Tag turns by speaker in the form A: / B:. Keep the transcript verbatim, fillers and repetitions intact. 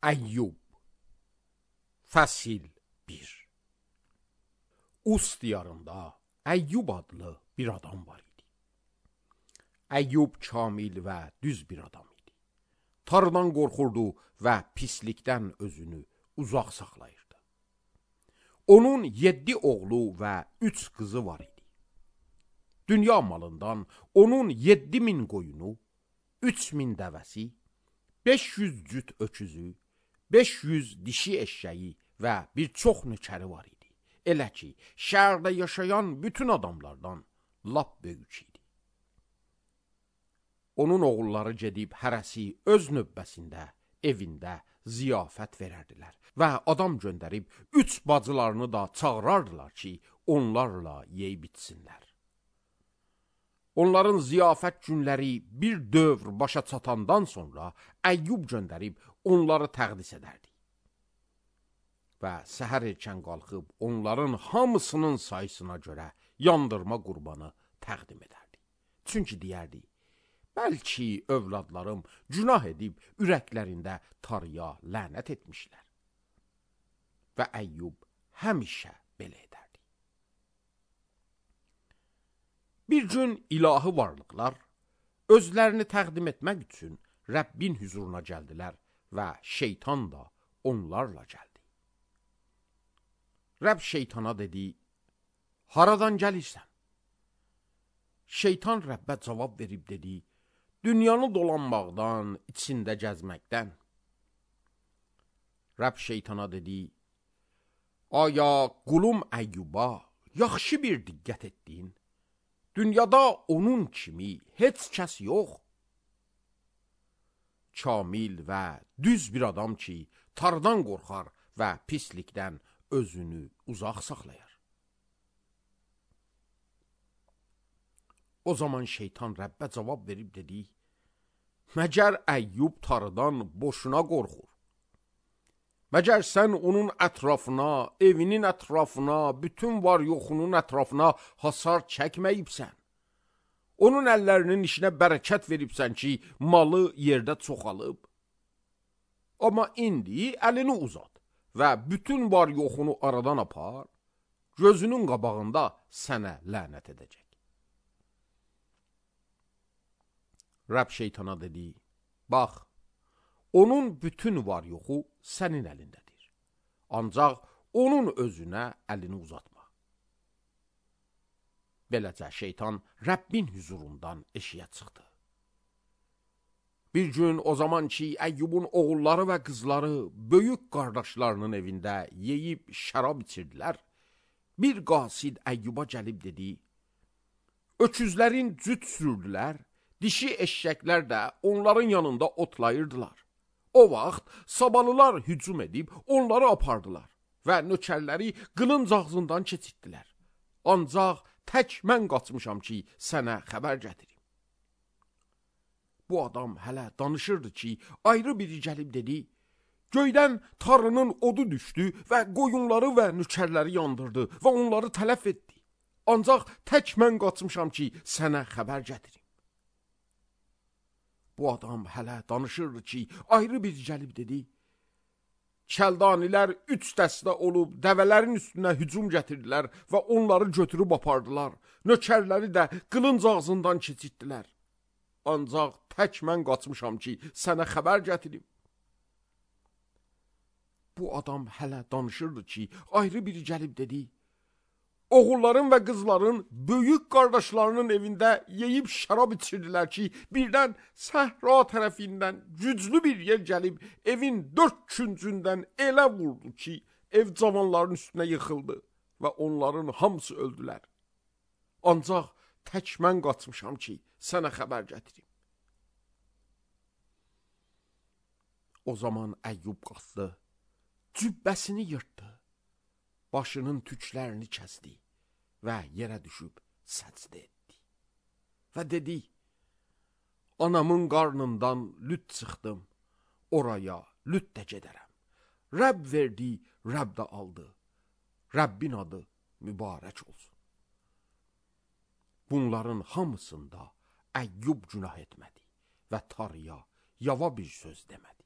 A: Əyyub Fəsil bir. Us diyarında Əyyub adlı bir adam var idi. Əyyub kamil və düz bir adam idi. Tanrıdan qorxurdu və pislikdən özünü uzaq saxlayırdı. Onun yeddi oğlu və üç qızı var idi. Dünya malından onun yeddi min qoyunu, üç min dəvəsi, beş yüz cüt öküzü, beş yüz dişi eşşəyi və bir çox nökəri var idi. Elə ki, şəhərdə yaşayan bütün adamlardan lap böyük idi. Onun oğulları gedib hərəsi öz növbəsində, evində ziyafət verərdilər və adam göndərib üç bacılarını da çağırardılar ki, onlarla yeyib içsinlər. Onların ziyafət günləri bir dövr başa çatandan sonra Əyyub göndərib onları təqdis edərdi. Və səhər erkən qalxıb onların hamısının sayısına görə yandırma qurbanı təqdim edərdi. Çünki deyərdi, bəlkə övladlarım günah edib ürəklərində Tanrıya lənət etmişlər. Və Əyyub həmişə belə edərdi. Bir gün ilahi varlıqlar özlərini təqdim etmək üçün Rəbbin huzuruna gəldilər və şeytan da onlarla gəldi. Rəbb şeytana dedi, haradan gəlirsən? Şeytan Rəbbə cavab verib dedi, dünyanı dolanmaqdan, içində gəzməkdən. Rəbb şeytana dedi, aya qulum Əyyuba yaxşı bir diqqət etdin? Dünyada onun kimi heç kəs yox. Kamil və düz bir adam ki, Tanrıdan qorxar və pislikdən özünü uzaq saxlayar. O zaman şeytan Rəbbə cavab verib dedi, məgər Əyyub Tanrıdan boşuna qorxur? Məgər sən onun ətrafına, evinin ətrafına, bütün var yoxunun ətrafına hasar çəkməyibsən? Onun əllərinin işinə bərəkət veribsən ki, malı yerdə çoxalıb? Amma indi əlini uzat və bütün var yoxunu aradan apar, gözünün qabağında sənə lənət edəcək. Rəbb şeytana dedi, bax, onun bütün var yoxu sənin əlindədir. Ancaq onun özünə əlini uzatma. Beləcə şeytan Rəbbin huzurundan eşiyə çıxdı. Bir gün o zaman ki, Əyyubun oğulları və qızları böyük qardaşlarının evində yeyib şərab içirdilər, bir qasid Əyyuba gəlib dedi, öküzlərin cüt sürdülər, dişi eşşəklər də onların yanında otlayırdılar. O vaxt sabalılar hücum edib onları apardılar və nökərləri qılınc ağzından keçirtdilər. Ancaq tək mən qaçmışam ki, sənə xəbər gətirim. Bu adam hələ danışırdı ki, ayrı biri gəlib dedi, göydən Tanrının odu düşdü və qoyunları və nökərləri yandırdı və onları tələf etdi. Ancaq tək mən qaçmışam ki, sənə xəbər gətirim. Bu adam hələ danışırdı ki, ayrı bir gəlib dedi, Kəldanilər üç dəstə olub dəvələrin üstünə hücum gətirdilər və onları götürüb apardılar. Nökərləri də qılınc ağzından keçirtdilər. Ancaq tək mən qaçmışam ki, sənə xəbər gətirim. Bu adam hələ danışırdı ki, ayrı biri gəlib dedi, oğulların və qızların böyük qardaşlarının evində yeyib şərab içirdilər ki, birdən səhra tərəfindən güclü bir yer gəlib, evin dörd küncündən elə vurdu ki, ev cavanların üstünə yıxıldı və onların hamısı öldülər. Ancaq tək mən qaçmışam ki, sənə xəbər gətirim. O zaman Əyyub qalxdı, cübbəsini yırtdı, başının tüklərini kəsdi və yerə düşüb səcdə etdi. Və dedi, anamın qarnından lüt çıxdım, oraya lüt də gedərəm. Rəbb verdi, Rəbb də aldı. Rəbbin adı mübarək olsun. Bunların hamısında Əyyub günah etmədi və Tanrıya yava bir söz demədi.